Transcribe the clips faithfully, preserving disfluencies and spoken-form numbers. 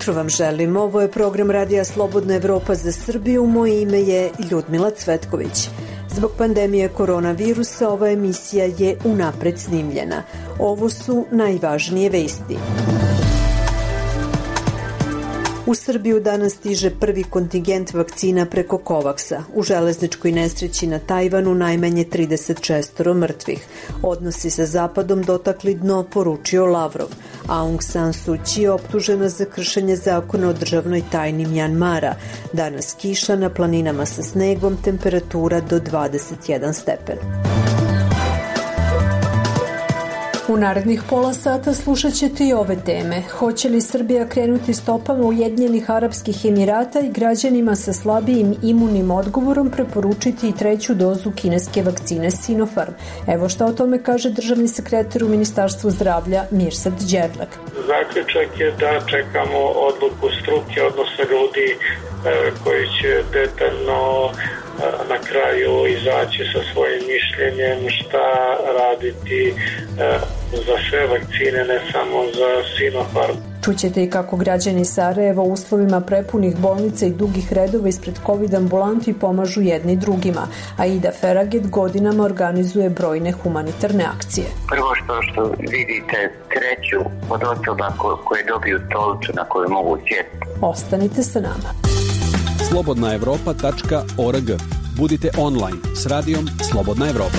jutro vam želim. Ovo je program Radija Slobodna Evropa za Srbiju. Moje ime je Ljudmila Cvetković. Zbog pandemije koronavirusa ova emisija je unapred snimljena. Ovo su najvažnije vesti. U Srbiju danas stiže prvi kontingent vakcina preko Kovaksa. U železničkoj nesreći na Tajvanu najmanje trideset šest mrtvih. Odnosi sa Zapadom dotakli dno, poručio Lavrov. Aung San Suu Kyi je optužena za kršenje zakona o državnoj tajni Mjanmara. Danas kiša, na planinama sa snegom, temperatura do dvadeset jedan stepen. U narednih pola sata slušat ćete i ove teme. Hoće li Srbija krenuti stopama Ujedinjenih Arapskih Emirata i građanima sa slabijim imunim odgovorom preporučiti i treću dozu kineske vakcine Sinopharm? Evo šta o tome kaže državni sekretar u Ministarstvu zdravlja Mirsad Đerlak. Zaključak je da čekamo odluku struke, odnosno ljudi koji će detaljno na kraju izaći sa svojim mišljenjem šta raditi za sve vakcine, ne samo za Sinopharm. Čućete i kako građani Sarajeva u uslovima prepunih bolnica i dugih redova ispred COVID ambulanti pomažu jedni drugima. Aida Feraget godinama organizuje brojne humanitarne akcije. Prvo što, što vidite treću od osoba ko, koje dobiju stolicu na koju mogu sjeti. Ostanite sa nama. slobodna evropa tačka org. Budite online s radijom Slobodna Evropa.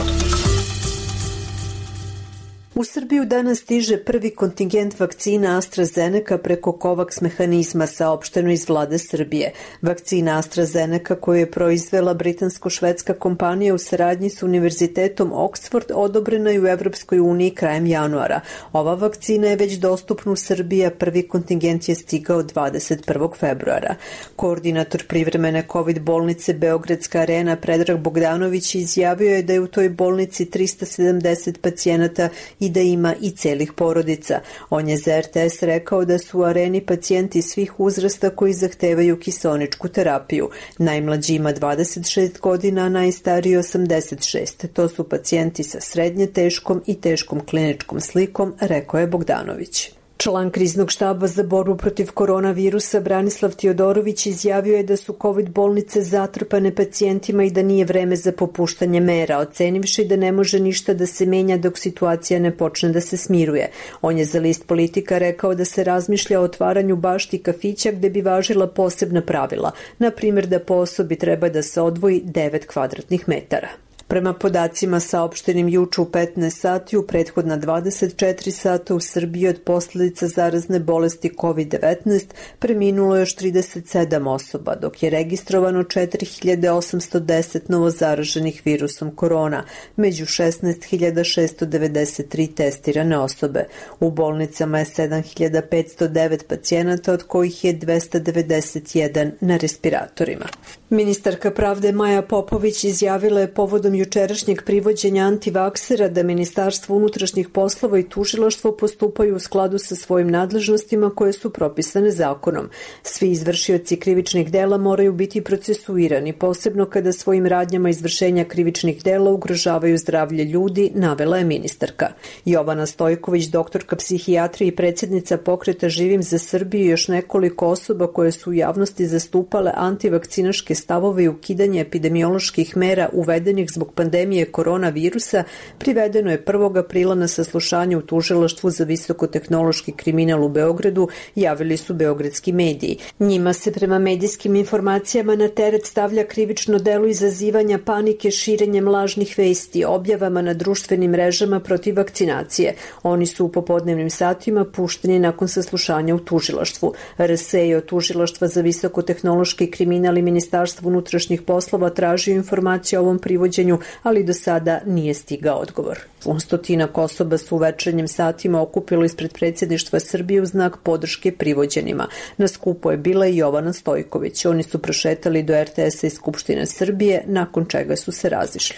U Srbiju danas stiže prvi kontingent vakcina AstraZeneca preko COVAX mehanizma, saopšteno iz vlade Srbije. Vakcina AstraZeneca koju je proizvela britansko-švedska kompanija u saradnji s Univerzitetom Oxford odobrena je u Evropskoj uniji krajem januara. Ova vakcina je već dostupna u Srbiji, a prvi kontingent je stigao dvadeset prvog februara. Koordinator privremene COVID bolnice Beogradska arena Predrag Bogdanović izjavio je da je u toj bolnici trista sedamdeset pacijenata i da ima i celih porodica. On je za R T S rekao da su u areni pacijenti svih uzrasta koji zahtevaju kiseoničku terapiju. Najmlađi ima dvadeset šest godina, a najstariji osamdeset šest. To su pacijenti sa srednje teškom i teškom kliničkom slikom, rekao je Bogdanović. Član kriznog štaba za borbu protiv koronavirusa Branislav Tiodorović izjavio je da su COVID bolnice zatrpane pacijentima i da nije vreme za popuštanje mera, ocenivši da ne može ništa da se menja dok situacija ne počne da se smiruje. On je za list Politika rekao da se razmišlja o otvaranju bašti kafića gde bi važila posebna pravila, na primjer da po osobi treba da se odvoji devet kvadratnih metara. Prema podacima saopštenim juče u petnaest sati, u prethodna dvadeset četiri sata u Srbiji od posljedica zarazne bolesti COVID devetnaest preminulo još trideset sedam osoba, dok je registrovano četiri hiljade osamsto deset novozaraženih virusom korona, među šesnaest hiljada šesto devedeset tri testirane osobe. U bolnicama je sedam hiljada petsto devet pacijenata, od kojih je dvesta devedeset jedan na respiratorima. Ministarka pravde Maja Popović izjavila je povodom jučerašnjeg privođenja antivaksera da Ministarstvo unutrašnjih poslova i tužilaštvo postupaju u skladu sa svojim nadležnostima koje su propisane zakonom. Svi izvršioci krivičnih dela moraju biti procesuirani, posebno kada svojim radnjama izvršenja krivičnih dela ugrožavaju zdravlje ljudi, navela je ministarka. Jovana Stojković, doktorka psihijatrije i predsjednica pokreta Živim za Srbiju i još nekoliko osoba koje su u javnosti zastupale antivakcinaške stavove i ukidanje epidemioloških mera uvedenih zbog pandemije koronavirusa, privedeno je prvog aprila na saslušanje u tužilaštvu za visokotehnološki kriminal u Beogradu, javili su beogradski mediji. Njima se prema medijskim informacijama na teret stavlja krivično delo izazivanja panike širenjem lažnih vesti, objavama na društvenim mrežama protiv vakcinacije. Oni su u popodnevnim satima pušteni nakon saslušanja u tužilaštvu. R S E od tužilaštva za visokotehnološki kriminal i Ministarstvo unutrašnjih poslova tražio informacije o ovom privođenju, ali do sada nije stigao odgovor. Stotinak osoba su u večernjim satima okupilo ispred predsjedništva Srbije u znak podrške privođenima. Na skupu je bila i Jovana Stojković. Oni su prošetali do R T S-a i Skupštine Srbije, nakon čega su se razišli.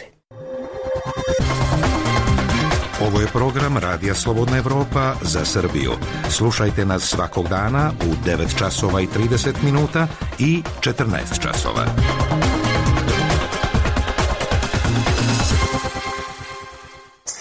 Ovo je program Radija Slobodna Evropa za Srbiju. Slušajte nas svakog dana u devet časova i trideset minuta i četrnaest časova.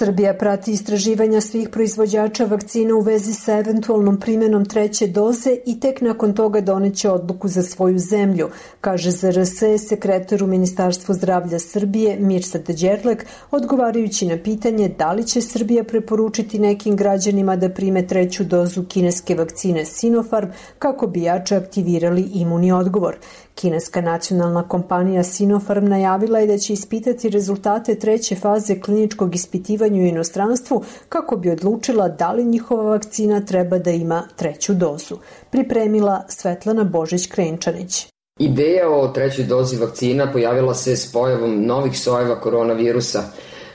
Srbija prati istraživanja svih proizvođača vakcina u vezi sa eventualnom primjenom treće doze i tek nakon toga doneće odluku za svoju zemlju, kaže Z R S sekretar u Ministarstvu zdravlja Srbije Mirsad Đerlek, odgovarajući na pitanje da li će Srbija preporučiti nekim građanima da prime treću dozu kineske vakcine Sinopharm kako bi jače aktivirali imuni odgovor. Kineska nacionalna kompanija Sinopharm najavila je da će ispitati rezultate treće faze kliničkog ispitivanja u inostranstvu kako bi odlučila da li njihova vakcina treba da ima treću dozu. Pripremila Svetlana Božić-Krenčanić. Ideja o trećoj dozi vakcina pojavila se s pojavom novih sojeva koronavirusa.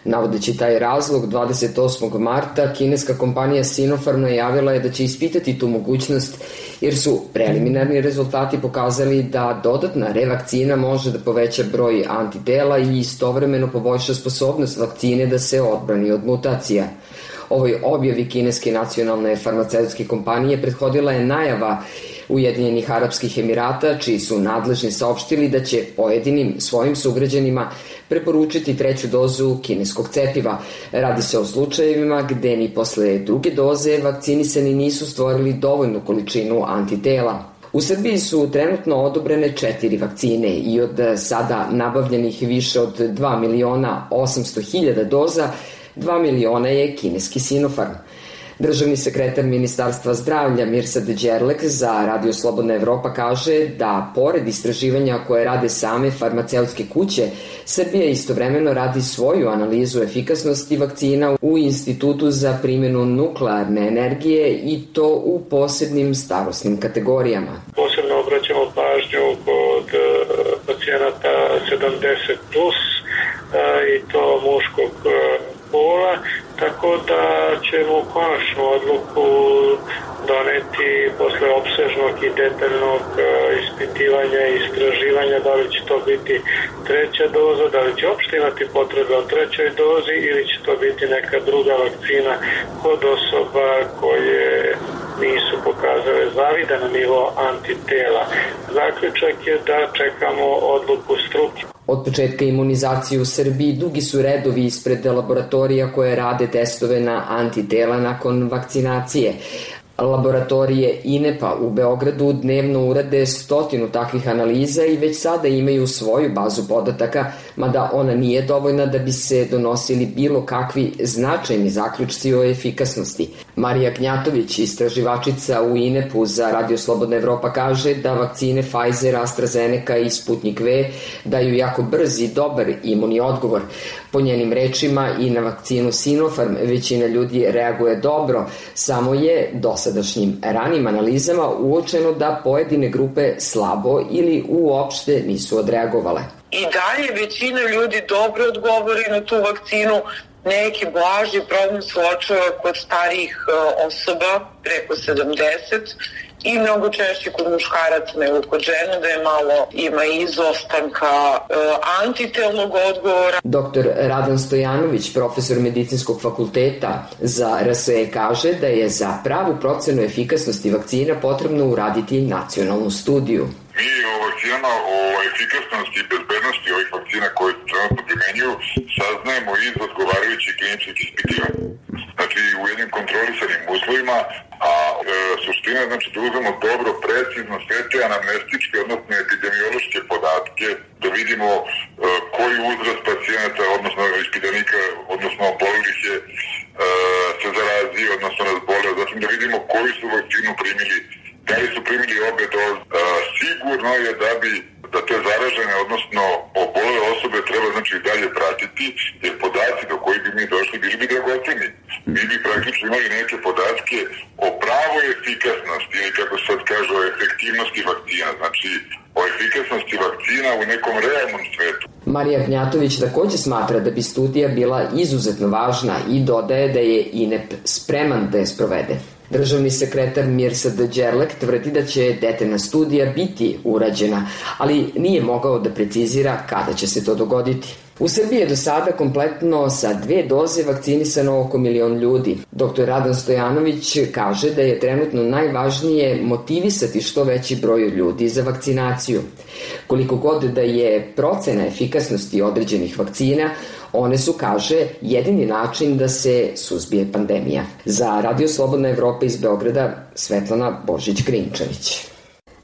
Navodeći taj razlog, dvadeset osmog marta kineska kompanija Sinopharm najavila je da će ispitati tu mogućnost jer su preliminarni rezultati pokazali da dodatna revakcina može da poveća broj antitela i istovremeno poboljša sposobnost vakcine da se odbrani od mutacija. Ovoj objavi kineske nacionalne farmaceutske kompanije prethodila je najava Ujedinjenih Arapskih Emirata, čiji su nadležni saopštili da će pojedinim svojim sugrađanima preporučiti treću dozu kineskog cepiva. Radi se o slučajevima gde ni posle druge doze vakcinisani nisu stvorili dovoljnu količinu antitela. U Srbiji su trenutno odobrene četiri vakcine i od sada nabavljenih više od dva miliona osamsto hiljada doza, dva miliona je kineski Sinopharm. Državni sekretar Ministarstva zdravlja Mirsad Đerlek za Radio Slobodna Evropa kaže da, pored istraživanja koje rade same farmaceutske kuće, Srbija istovremeno radi svoju analizu efikasnosti vakcina u Institutu za primjenu nuklearne energije i to u posebnim starosnim kategorijama. Posebno obraćamo pažnju kod pacijenata sedamdeset plus i to muškog pola, tako da ćemo konačnu odluku doneti posle opsežnog i detaljnog ispitivanja i istraživanja da li će to biti treća doza, da li će uopšte imati potrebe o trećoj dozi ili će to biti neka druga vakcina kod osoba koje nisu pokazale zavidan nivo antitela. Zaključak je da čekamo odluku struke. Od početka imunizacije u Srbiji dugi su redovi ispred laboratorija koje rade testove na antitela nakon vakcinacije. Laboratorije I N E P-a u Beogradu dnevno urade stotinu takvih analiza i već sada imaju svoju bazu podataka, mada ona nije dovoljna da bi se donosili bilo kakvi značajni zaključci o efikasnosti. Marija Gnjatović, istraživačica u I N E P-u za Radio Slobodna Evropa, kaže da vakcine Pfizer, AstraZeneca i Sputnik V daju jako brz i dobar imuni odgovor. Po njenim rečima i na vakcinu Sinopharm većina ljudi reaguje dobro, samo je dosadašnjim ranim analizama uočeno da pojedine grupe slabo ili uopšte nisu odreagovale. I dalje većina ljudi dobro odgovori na tu vakcinu, neki blaži problem se uočava kod starijih osoba preko sedamdeset i mnogo češće kod muškaraca nego kod žena, da je malo ima izostanka e, antitelnog odgovora. Doktor Radan Stojanović, profesor medicinskog fakulteta za R S E, kaže da je za pravu procenu efikasnosti vakcina potrebno uraditi nacionalnu studiju. Mi o vakcinama, o efikasnosti i bezbednosti ovih vakcina koje se trenutno primenjuju saznajemo iz odgovarajućih kliničkih ispitivanja. Znači u jednim kontrolisanim uslovima, a e, suština je znači da uzmemo dobro, precizno sve te anamnestičke, odnosno epidemiološke podatke, da vidimo e, koji uzrast pacijenata, odnosno ispitanika, odnosno obolelih je e, se zarazio, odnosno razboleo, zatim da vidimo koji su vakcinu primili, da li su primili obe doze. E, sigurno je da bi da te zaražene, odnosno obole osobe treba znači dalje pratiti, jer podaci do koji bi mi došli bili bi dragoceni. Mi bi praktično imali neke podatke o pravoj efikasnosti ili kako se sad kaže o efektivnosti vakcina, znači o efikasnosti vakcina u nekom realnom svetu. Marija Gnjatović takođe smatra da bi studija bila izuzetno važna i dodaje da je I N E P spreman da je sprovede. Državni sekretar Mirsad Đerlek tvrdi da će detaljna studija biti urađena, ali nije mogao da precizira kada će se to dogoditi. U Srbiji je do sada kompletno sa dve doze vakcinisano oko milion ljudi. doktor Radan Stojanović kaže da je trenutno najvažnije motivisati što veći broj ljudi za vakcinaciju. Koliko god da je procena efikasnosti određenih vakcina, one su, kaže, jedini način da se suzbije pandemija. Za Radio Slobodna Evropa iz Beograda, Svetlana Božić-Grinčević.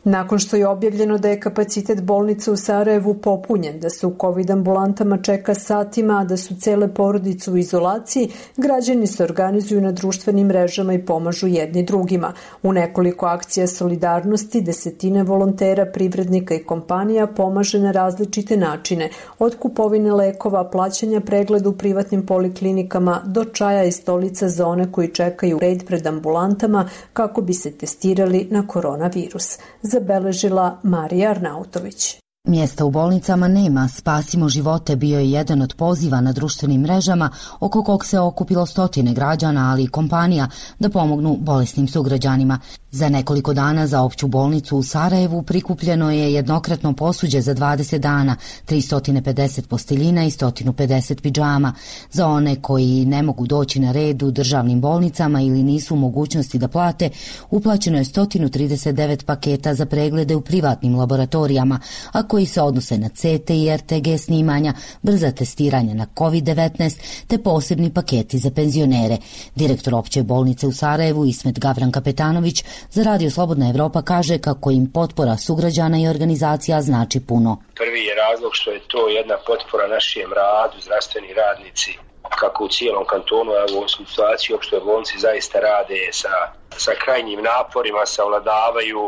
Nakon što je objavljeno da je kapacitet bolnice u Sarajevu popunjen, da se u COVID ambulantama čeka satima, a da su cele porodice u izolaciji, građani se organizuju na društvenim mrežama i pomažu jedni drugima. U nekoliko akcija solidarnosti desetine volontera, privrednika i kompanija pomaže na različite načine, od kupovine lekova, plaćanja pregleda u privatnim poliklinikama do čaja i stolica za one koji čekaju red pred ambulantama kako bi se testirali na koronavirus. Zabeležila Marija Arnautović. Mjesta u bolnicama nema, spasimo živote bio je jedan od poziva na društvenim mrežama oko kog se okupilo stotine građana, ali i kompanija da pomognu bolesnim sugrađanima. Za nekoliko dana za opću bolnicu u Sarajevu prikupljeno je jednokratno posuđe za dvadeset dana, tristo pedeset posteljina i sto pedeset pidžama. Za one koji ne mogu doći na red u državnim bolnicama ili nisu u mogućnosti da plate, uplaćeno je sto trideset devet paketa za preglede u privatnim laboratorijama, a koji se odnose na C T i R T G snimanja, brza testiranja na COVID devetnaest te posebni paketi za penzionere. Direktor opće bolnice u Sarajevu Ismet Gavran Kapetanović za Radio Slobodna Evropa kaže kako im potpora sugrađana i organizacija znači puno. Prvi je razlog što je to jedna potpora našem radu, zdravstveni radnici kako u cijelom kantonu, a u ovom situaciji opštoj bolnici zaista rade sa, sa krajnjim naporima, savladavaju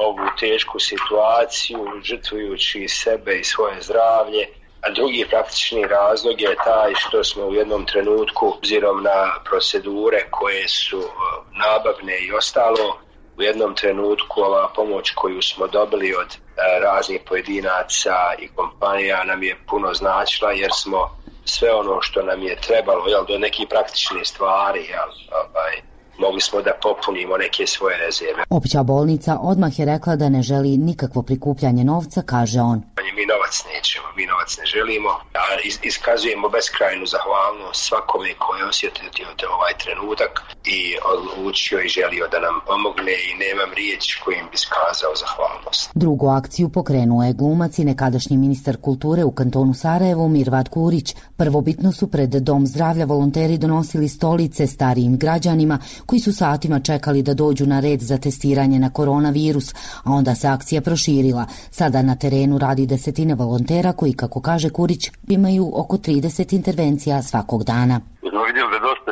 ovu tešku situaciju, žrtvujući sebe i svoje zdravlje. A drugi praktični razlog je taj što smo u jednom trenutku, obzirom na procedure koje su nabavne i ostalo, u jednom trenutku ova pomoć koju smo dobili od raznih pojedinaca i kompanija nam je puno značila, jer smo sve ono što nam je trebalo, jel, do nekih praktičnih stvari, jel, ovaj, mogli smo da popunimo neke svoje rezerve. Opća bolnica odmah je rekla da ne želi nikakvo prikupljanje novca, kaže on. Mi novac nećemo, mi novac ne želimo, a iskazujemo beskrajnu zahvalnost svakome koji je osjetio ovaj trenutak i odlučio i želio da nam pomogne i nemam riječ kojim bi iskazao zahvalnost. Drugu akciju pokrenuo je glumac i nekadašnji ministar kulture u kantonu Sarajevu Mirvad Kurić. Prvobitno su pred Dom zdravlja volonteri donosili stolice starijim građanima koji su satima čekali da dođu na red za testiranje na koronavirus, a onda se akcija proširila. Sada na terenu radi desetine volontera koji, kako kaže Kurić, imaju oko trideset intervencija svakog dana. Smo vidjeli da dosta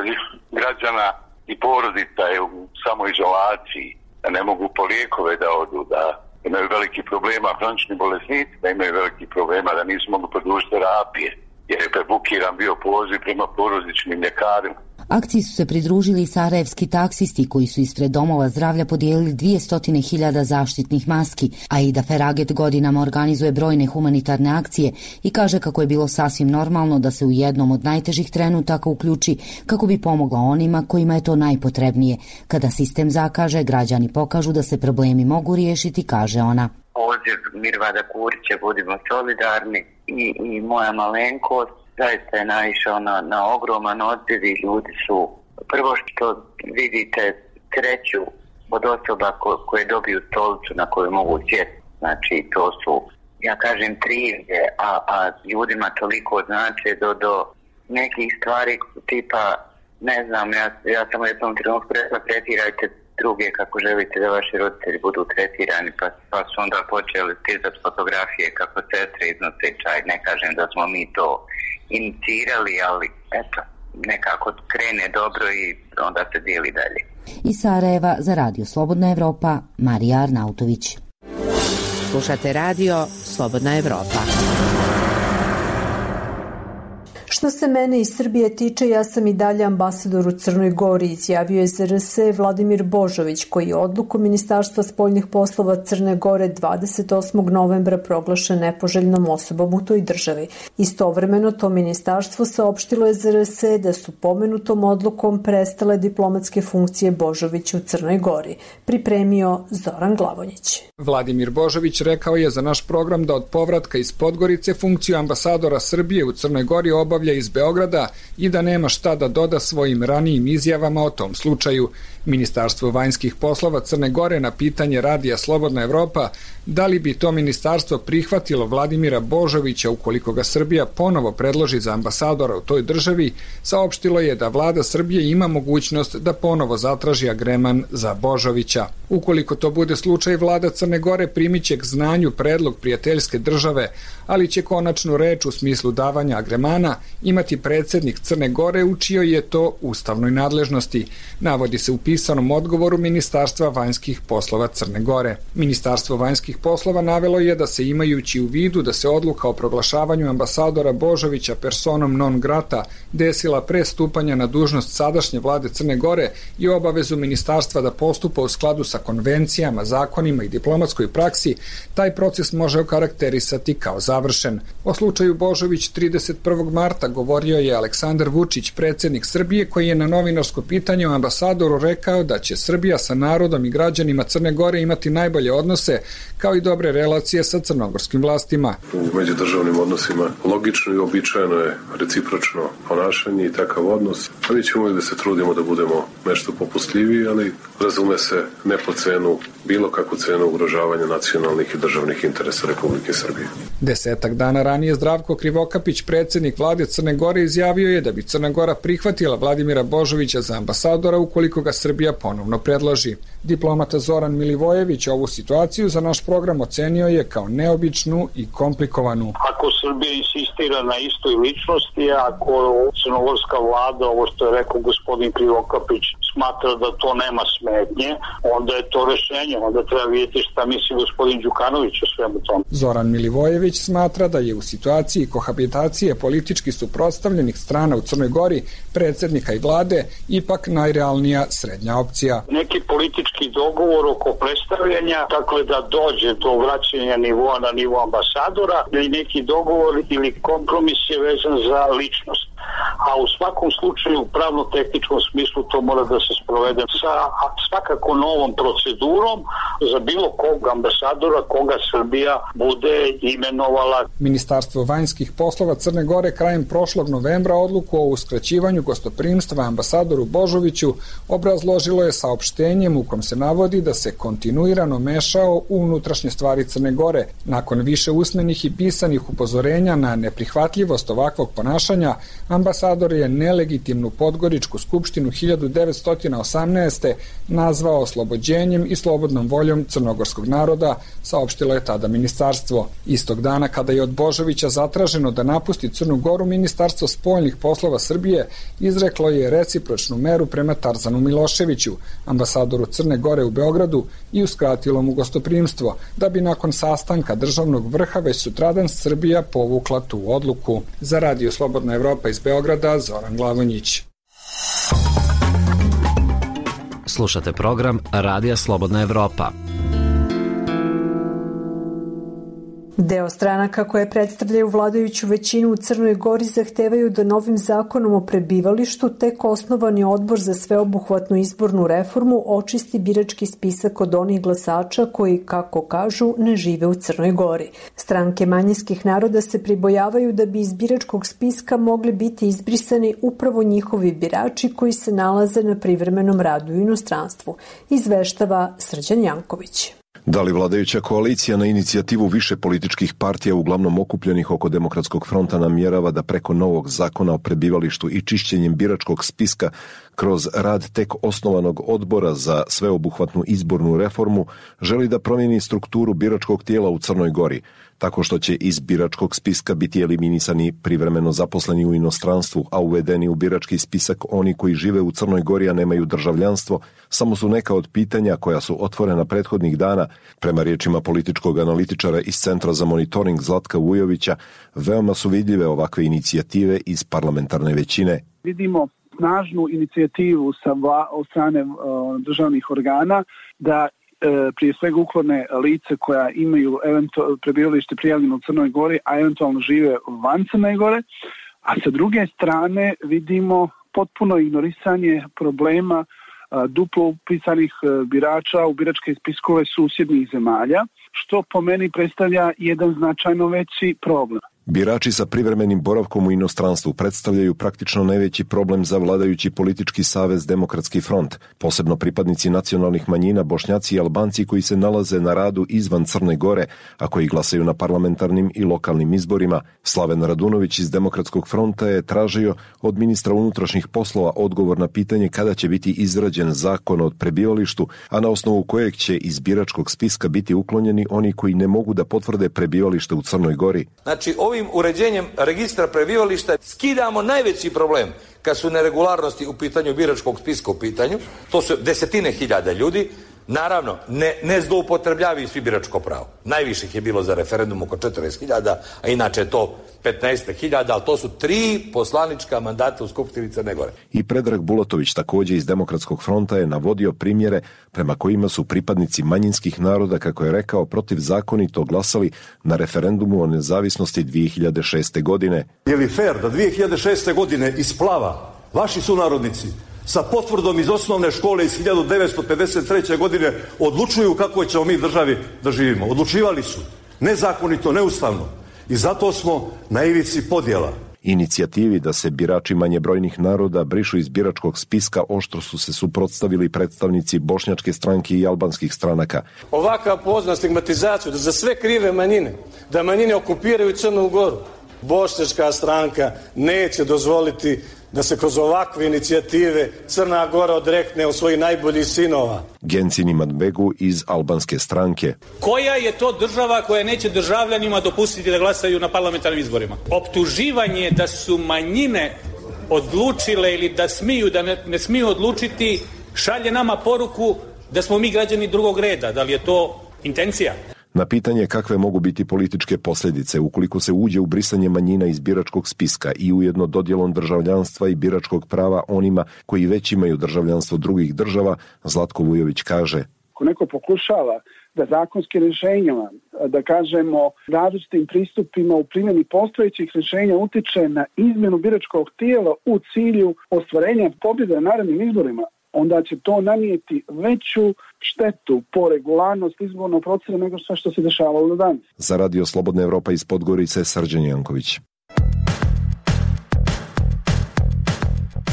građana i porodica je u samoizolaciji, da ne mogu po lijekove da odu, da imaju veliki problema, hronični bolesnici, da imaju veliki problema, da nisu mogli produžiti terapije, jer je prebukiran bio poziv prema porodičnim ljekarima. Akciji su se pridružili i sarajevski taksisti koji su ispred domova zdravlja podijelili dvjesto hiljada zaštitnih maski, a Ida Feraget godinama organizuje brojne humanitarne akcije i kaže kako je bilo sasvim normalno da se u jednom od najtežih trenutaka uključi kako bi pomogla onima kojima je to najpotrebnije. Kada sistem zakaže, građani pokažu da se problemi mogu riješiti, kaže ona. Poziv Mirvada Kurića, budimo solidarni i, i moja malenkost zaista je naišao na, na ogroman odziv i ljudi su, prvo što vidite, kreću od osoba ko, koje dobiju stolicu na koju mogu sjeti. Znači to su, ja kažem, trivije, a, a ljudima toliko znači do, do nekih stvari tipa, ne znam, ja, ja sam u jednom trenutku rekla, tretirajte druge kako želite da vaši roditelji budu tretirani, pa, pa su onda počeli stizati fotografije kako sestre iznose čaj. Ne kažem da smo mi to inicirali, ali eto, nekako krene dobro i onda se dijeli dalje. Iz Sarajeva za Radio Slobodna Evropa, Marija Arnautović. Slušate Radio Slobodna Evropa. Što se mene i Srbije tiče, ja sam i dalje ambasador u Crnoj Gori, izjavio je Z R S Vladimir Božović, koji je odluku Ministarstva spoljnih poslova Crne Gore dvadeset osmog novembra proglašen nepoželjnom osobom u toj državi. Istovremeno to ministarstvo saopštilo je Z R S da su pomenutom odlukom prestale diplomatske funkcije Božovića u Crnoj Gori, pripremio Zoran Glavonjić. Vladimir Božović rekao je za naš program da od povratka iz Podgorice funkciju ambasadora Srbije u Crnoj Gori obavlja iz Beograda i da nema šta da doda svojim ranijim izjavama o tom slučaju. Ministarstvo vanjskih poslova Crne Gore na pitanje Radija Slobodna Evropa da li bi to ministarstvo prihvatilo Vladimira Božovića ukoliko ga Srbija ponovo predloži za ambasadora u toj državi, saopštilo je da vlada Srbije ima mogućnost da ponovo zatraži agreman za Božovića. Ukoliko to bude slučaj, vlada Crne Gore primiće k znanju predlog prijateljske države, ali će konačnu reč u smislu davanja agremana imati predsednik Crne Gore u čijoj je to ustavnoj nadležnosti, navodi se u pisanom odgovoru Ministarstva vanjskih poslova Crne Gore. Ministarstvo vanjskih poslova navelo je da se imajući u vidu da se odluka o proglašavanju ambasadora Božovića personom non grata desila pre stupanja na dužnost sadašnje vlade Crne Gore i obavezu ministarstva da postupa u skladu sa konvencijama, zakonima i diplomatskoj praksi, taj proces može okarakterisati kao završen. O slučaju Božović trideset prvog marta govorio je Aleksandar Vučić, predsednik Srbije, koji je na novinarsko pitanje o ambasadoru rekao da će Srbija sa narodom i građanima Crne Gore imati najbolje odnose, kao i dobre relacije sa crnogorskim vlastima. U međudržavnim odnosima logično i običajno je recipročno ponašanje i takav odnos. A mi ćemo da se trudimo da budemo nešto popustljiviji, ali razume se ne po cenu, bilo kakvu cenu ugrožavanja nacionalnih i državnih interesa Republike Srbije. Desetak dana ranije Zdravko Krivokapić, predsednik vlade Crne Gore, izjavio je da bi Crna Gora prihvatila Vladimira Božovića za ambasadora ukoliko ga Srbija ponovno predloži. Diplomata Zoran Milivojević ovu situaciju za naš program ocenio je kao neobičnu i komplikovanu. Ako Srbija insistira na istoj ličnosti, ako crnogorska vlada, ovo što je rekao gospodin Krivokapić, smatra da to nema smetnje, onda je to rešenje, onda treba vidjeti šta misli gospodin Đukanović o svemu tom. Zoran Milivojević smatra da je u situaciji kohabitacije politički suprotstavljenih strana u Crnoj Gori, predsednika i vlade, ipak najrealnija srednja opcija. Neki politički dogovor oko predstavljanja, dakle da dođe do vraćanja nivoa na nivo ambasadora, ili neki dogovor ili kompromis je vezan za ličnost. A u svakom slučaju u pravno-tehničkom smislu to mora da se sprovede sa svakako novom procedurom za bilo kog ambasadora koga Srbija bude imenovala. Ministarstvo vanjskih poslova Crne Gore krajem prošlog novembra odluku o uskraćivanju gostoprimstva ambasadoru Božoviću obrazložilo je saopštenjem u kom se navodi da se kontinuirano mešao u unutrašnje stvari Crne Gore. Nakon više usmenih i pisanih upozorenja na neprihvatljivost ovakvog ponašanja, ambasador je nelegitimnu Podgoričku skupštinu hiljadu devetsto osamnaeste. nazvao oslobođenjem i slobodnom voljom crnogorskog naroda, saopštilo je tada ministarstvo. Istog dana kada je od Božovića zatraženo da napusti Crnu Goru, Ministarstvo spoljnih poslova Srbije izreklo je recipročnu meru prema Tarzanu Miloševiću, ambasadoru Crne Gore u Beogradu, i uskratilo mu gostoprimstvo, da bi nakon sastanka državnog vrha već sutradan Srbija povukla tu odluku. Za Radio Slobodna Evropa iz Beograda, Zoran Glavonjić. Slušate program Radija Slobodna Evropa. Deo stranaka koje predstavljaju vladajuću većinu u Crnoj Gori zahtevaju da novim zakonom o prebivalištu tek osnovani odbor za sveobuhvatnu izbornu reformu očisti birački spisak od onih glasača koji, kako kažu, ne žive u Crnoj Gori. Stranke manjinskih naroda se pribojavaju da bi iz biračkog spiska mogli biti izbrisani upravo njihovi birači koji se nalaze na privremenom radu u inostranstvu, izveštava Srđan Janković. Da li vladajuća koalicija na inicijativu više političkih partija, uglavnom okupljenih oko Demokratskog fronta, namjerava da preko novog zakona o prebivalištu i čišćenjem biračkog spiska kroz rad tek osnovanog odbora za sveobuhvatnu izbornu reformu želi da promijeni strukturu biračkog tijela u Crnoj Gori? tako što će iz biračkog spiska biti eliminisani privremeno zaposleni u inostranstvu, a uvedeni u birački spisak oni koji žive u Crnoj Gori a nemaju državljanstvo, samo su neka od pitanja koja su otvorena prethodnih dana. Prema riječima političkog analitičara iz Centra za monitoring Zlatka Vujovića, veoma su vidljive ovakve inicijative iz parlamentarne većine. Vidimo snažnu inicijativu sa vla, od strane uh, državnih organa da e, prije svega uklone lice koja imaju eventu, prebivalište prijavljeno u Crnoj Gori, a eventualno žive van Crne Gore, a sa druge strane vidimo potpuno ignorisanje problema a, duplo upisanih a, birača u biračke spiskove susjednih zemalja, što po meni predstavlja jedan značajno veći problem. Birači sa privremenim boravkom u inostranstvu predstavljaju praktično najveći problem za vladajući politički savez Demokratski front, posebno pripadnici nacionalnih manjina, Bošnjaci i Albanci koji se nalaze na radu izvan Crne Gore, a koji glasaju na parlamentarnim i lokalnim izborima. Slaven Radunović iz Demokratskog fronta je tražio od ministra unutrašnjih poslova odgovor na pitanje kada će biti izrađen zakon o prebivalištu, a na osnovu kojeg će iz biračkog spiska biti uklonjeni oni koji ne mogu da potvrde prebivalište u Crnoj Gori. Znači, ovim uređenjem registra prebivališta skidamo najveći problem kad su neregularnosti u pitanju biračkog spiska u pitanju. To su desetine hiljada ljudi. Naravno, ne, ne zloupotrebljavaju svi biračko pravo. Najviše je bilo za referendum oko četrdeset hiljada, a inače je to petnaest hiljada, ali to su tri poslanička mandata u Skupštini Crne Gore. I Predrag Bulatović, također iz Demokratskog fronta, je navodio primjere prema kojima su pripadnici manjinskih naroda, kako je rekao, protivzakonito glasali na referendumu o nezavisnosti dvije hiljade šeste. godine. Je li fair da dvije hiljade šeste. godine iz Splava vaši sunarodnici sa potvrdom iz osnovne škole iz hiljadu devetsto pedeset treće. godine odlučuju kako ćemo mi državi da živimo? Odlučivali su. Nezakonito, neustavno. I zato smo na ivici podjela. Inicijativi da se birači manjebrojnih naroda brišu iz biračkog spiska oštro su se suprotstavili predstavnici bošnjačke stranke i albanskih stranaka. Ovakav pozna stigmatizaciju da za sve krive manjine, da manjine okupiraju Crnu Goru, bošnjačka stranka neće dozvoliti da se kroz ovakve inicijative Crna Gora odrekne od svojih najboljih sinova. Gencin Imanbegu iz albanske stranke. Koja je to država koja neće državljanima dopustiti da glasaju na parlamentarnim izborima? Optuživanje da su manjine odlučile ili da smiju, da ne, ne smiju odlučiti, šalje nama poruku da smo mi građani drugog reda. Da li je to intencija? Na pitanje kakve mogu biti političke posljedice ukoliko se uđe u brisanje manjina iz biračkog spiska i ujedno dodjelom državljanstva i biračkog prava onima koji već imaju državljanstvo drugih država, Zlatko Vujović kaže: Ako neko pokušava da zakonskim rješenjima, da kažemo različitim pristupima u primjeni postojećih rješenja utiče na izmjenu biračkog tijela u cilju ostvarenja pobjede na narednim izborima, onda će to nanijeti veću štetu po regularnost izbornog procesa nego sve što se dešavalo do danas. Za Radio Slobodna Evropa iz Podgorice, Srđan Janković.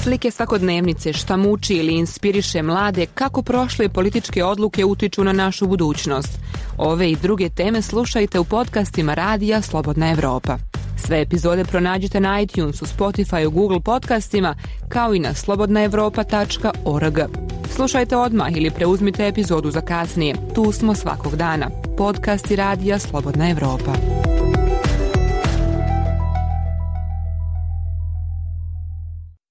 Slike svakodnevnice, šta muči ili inspiriše mlade, kako prošle političke odluke utiču na našu budućnost. Ove i druge teme slušajte u podcastima Radija Slobodna Evropa. Sve epizode pronađite na iTunesu, Spotify, Google podcastima, kao i na slobodna evropa tačka org. Slušajte odmah ili preuzmite epizodu za kasnije. Tu smo svakog dana. Podcasti Radija Slobodna Evropa.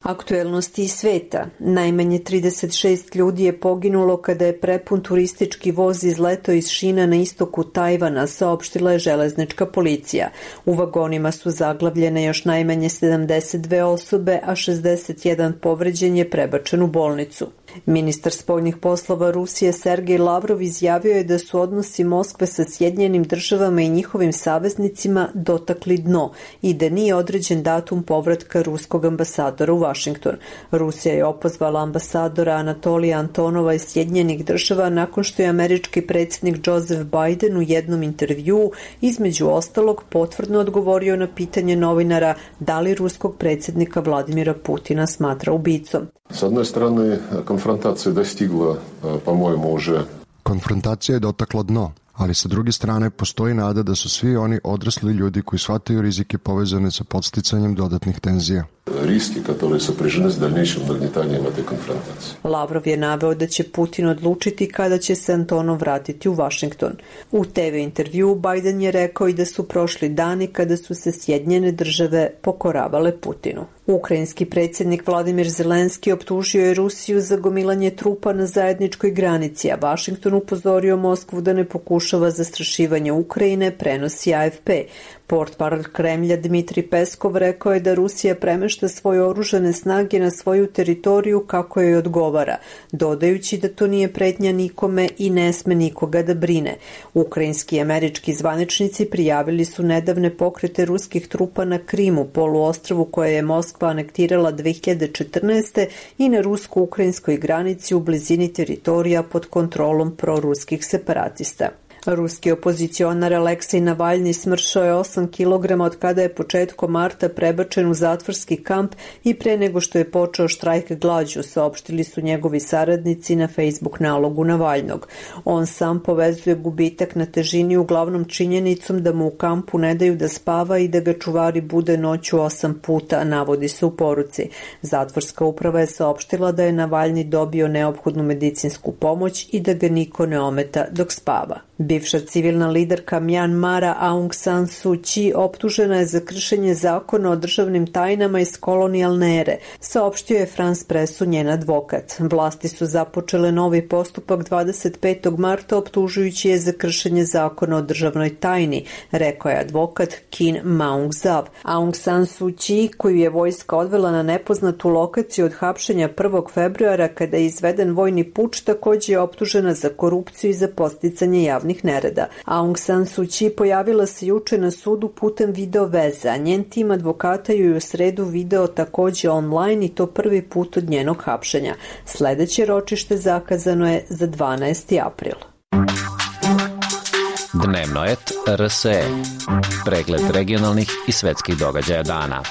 Aktuelnosti iz sveta. Najmanje trideset šest ljudi je poginulo kada je prepun turistički voz izletao iz šina na istoku Tajvana, saopštila je železnička policija. U vagonima su zaglavljene još najmanje sedamdeset dve osobe, a šezdeset jedan povređen je prebačen u bolnicu. Ministar spoljnih poslova Rusije Sergej Lavrov izjavio je da su odnosi Moskve sa Sjedinjenim državama i njihovim saveznicima dotakli dno i da nije određen datum povratka ruskog ambasadora u Vašington. Rusija je opozvala ambasadora Anatolija Antonova iz Sjedinjenih država nakon što je američki predsjednik Joseph Biden u jednom intervjuu između ostalog potvrdno odgovorio na pitanje novinara da li ruskog predsjednika Vladimira Putina smatra ubicom. S jedne strane, konfrontacija je dostigla, po-mojemu, уже... Konfrontacija je dotakla dno, ali sa druge strane postoji nada da su svi oni odrasli ljudi koji shvataju rizike povezane sa podsticanjem dodatnih tenzija. риски, которые сопряжены с дальнейшим нагнетанием этой конфронтации. Lavrov je naveo da će Putin odlučiti kada će se Antonov vratiti u Vašington. U te ve intervjuu Biden je rekao i da su prošli dani kada su se Sjedinjene države pokoravale Putinu. Ukrajinski predsjednik Vladimir Zelenski optužio je Rusiju za gomilanje trupa na zajedničkoj granici, a Vašington upozorio Moskvu da ne pokušava zastrašivanje Ukrajine, prenosi A F P. Portparol Kremlja Dmitri Peskov rekao je da Rusija premešta svoje oružane snage na svoju teritoriju kako joj odgovara, dodajući da to nije pretnja nikome i ne sme nikoga da brine. Ukrajinski i američki zvaničnici prijavili su nedavne pokrete ruskih trupa na Krimu, poluostrvu koje je Moskva anektirala dve hiljade četrnaeste. i na rusko-ukrajinskoj granici u blizini teritorija pod kontrolom proruskih separatista. Ruski opozicionar Aleksej Navalni smršao je osam kilograma od kada je početkom marta prebačen u zatvorski kamp i pre nego što je počeo štrajk glađu, saopštili su njegovi saradnici na Facebook nalogu Navalnog. On sam povezuje gubitak na težini uglavnom činjenicom da mu u kampu ne daju da spava i da ga čuvari bude noću osam puta, navodi se u poruci. Zatvorska uprava je saopštila da je Navalni dobio neophodnu medicinsku pomoć i da ga niko ne ometa dok spava. Bivša civilna liderka Mjanmara Aung San Suu Kyi optužena je za kršenje zakona o državnim tajnama iz kolonijalne ere, saopštio je France Pressu njen advokat. Vlasti su započele novi postupak dvadeset petog marta optužujući je za kršenje zakona o državnoj tajni, rekao je advokat Kin Maung Zaw. Aung San Suu Kyi, koju je vojska odvela na nepoznatu lokaciju od hapšenja prvog februara kada je izveden vojni puč, također je optužena za korupciju i za podsticanje javnih nereda. Aung San Suu Kyi pojavila se juče na sudu putem video veze, a njen tim advokata ju je u sredu video također online i to prvi put od njenog hapšenja. Sledeće ročište zakazano je za dvanaesti april. Dnevnoet R S E. Pregled regionalnih i svetskih događaja dana.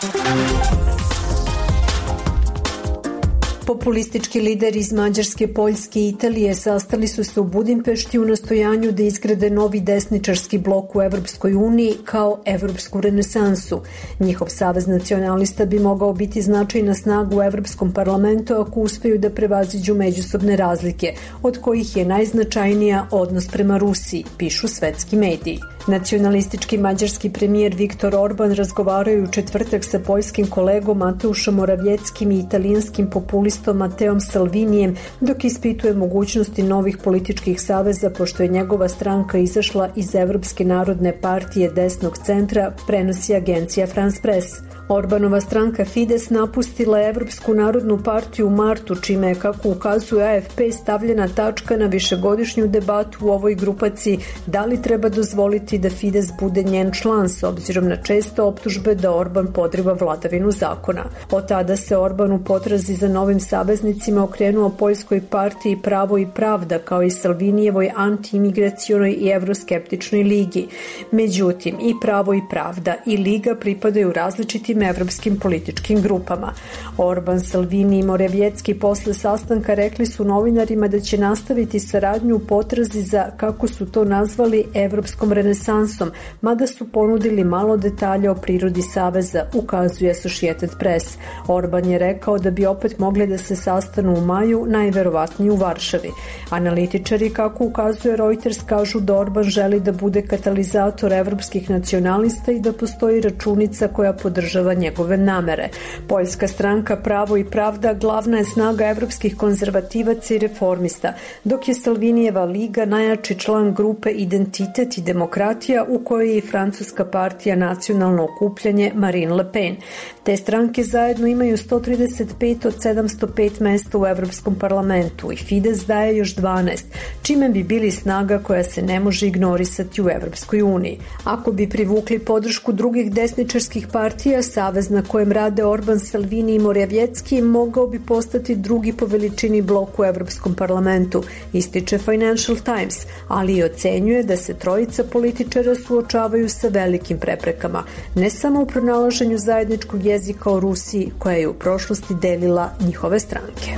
Populistički lideri iz Mađarske, Poljske i Italije sastali su se u Budimpešti u nastojanju da izgrade novi desničarski blok u Evropskoj uniji kao evropsku renesansu. Njihov savez nacionalista bi mogao biti značajna snaga u Evropskom parlamentu ako uspeju da prevaziđu međusobne razlike, od kojih je najznačajnija odnos prema Rusiji, pišu svetski mediji. Nacionalistički mađarski premijer Viktor Orban razgovarao u četvrtak sa poljskim kolegom Mateušom Moravjeckim i italijanskim populistom Mateom Salvinijem dok ispituje mogućnosti novih političkih saveza pošto je njegova stranka izašla iz Evropske narodne partije desnog centra, prenosi agencija France Press. Orbanova stranka Fides napustila je Evropsku narodnu partiju u martu, čime je, kako ukazuje A F P, stavljena tačka na višegodišnju debatu u ovoj grupaciji da li treba dozvoliti da Fides bude njen član s obzirom na često optužbe da Orban podriva vladavinu zakona. Od tada se Orban u potrazi za novim saveznicima okrenuo Poljskoj partiji Pravo i pravda kao i Salvinijevoj antiimigracionoj i evroskeptičnoj ligi. Međutim, i Pravo i pravda i liga pripadaju različitim evropskim političkim grupama. Orban, Salvini i Moravjecki posle sastanka rekli su novinarima da će nastaviti saradnju u potrazi za, kako su to nazvali, evropskom renesansom, mada su ponudili malo detalja o prirodi saveza, ukazuje Associated Press. Orban je rekao da bi opet mogli da se sastanu u maju, najverovatnije u Varšavi. Analitičari, kako ukazuje Reuters, kažu da Orban želi da bude katalizator evropskih nacionalista i da postoji računica koja podržava njegove namere. Poljska stranka Pravo i pravda glavna je snaga evropskih konzervativaca i reformista, dok je Salvinijeva liga najjači član grupe Identitet i demokratija u kojoj je i francuska partija Nacionalno okupljanje Marine Le Pen. Te stranke zajedno imaju sto trideset pet od sedamsto pet mesta u Evropskom parlamentu i Fides daje još dvanaest, čime bi bili snaga koja se ne može ignorisati u Evropskoj uniji. Ako bi privukli podršku drugih desničarskih partija, savez na kojem rade Orban, Salvini i Moravjecki mogao bi postati drugi po veličini blok u Evropskom parlamentu, ističe Financial Times, ali i ocenjuje da se trojica političara suočavaju sa velikim preprekama, ne samo u pronalaženju zajedničkog jezika o Rusiji, koja je u prošlosti delila njihove stranke.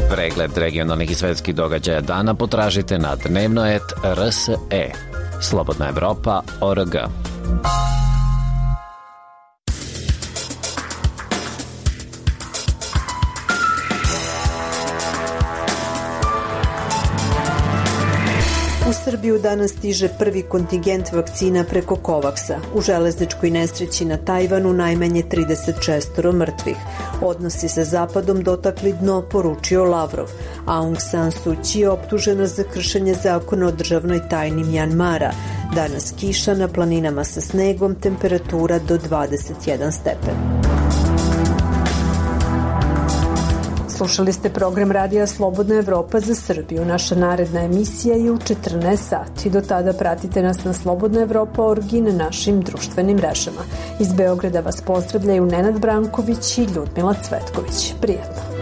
Pregled regionalnih i svetskih događaja dana potražite na dnevnoet R S E. Slobodna Evropa, O R G. Srbiju danas stiže prvi kontingent vakcina preko Kovaksa. U železničkoj nesreći na Tajvanu najmanje trideset šest mrtvih. Odnosi sa Zapadom dotakli dno, poručio Lavrov. Aung San Suu Kyi je optužena za kršenje zakona o državnoj tajni Mjanmara. Danas kiša, na planinama sa snegom, temperatura do dvadeset jedan stepen. Slušali ste program Radija Slobodna Evropa za Srbiju. Naša naredna emisija je u četrnaest sati. Do tada pratite nas na slobodna evropa tačka org i na našim društvenim mrežama. Iz Beograda vas pozdravljaju Nenad Branković i Ljudmila Cvetković. Prijetno.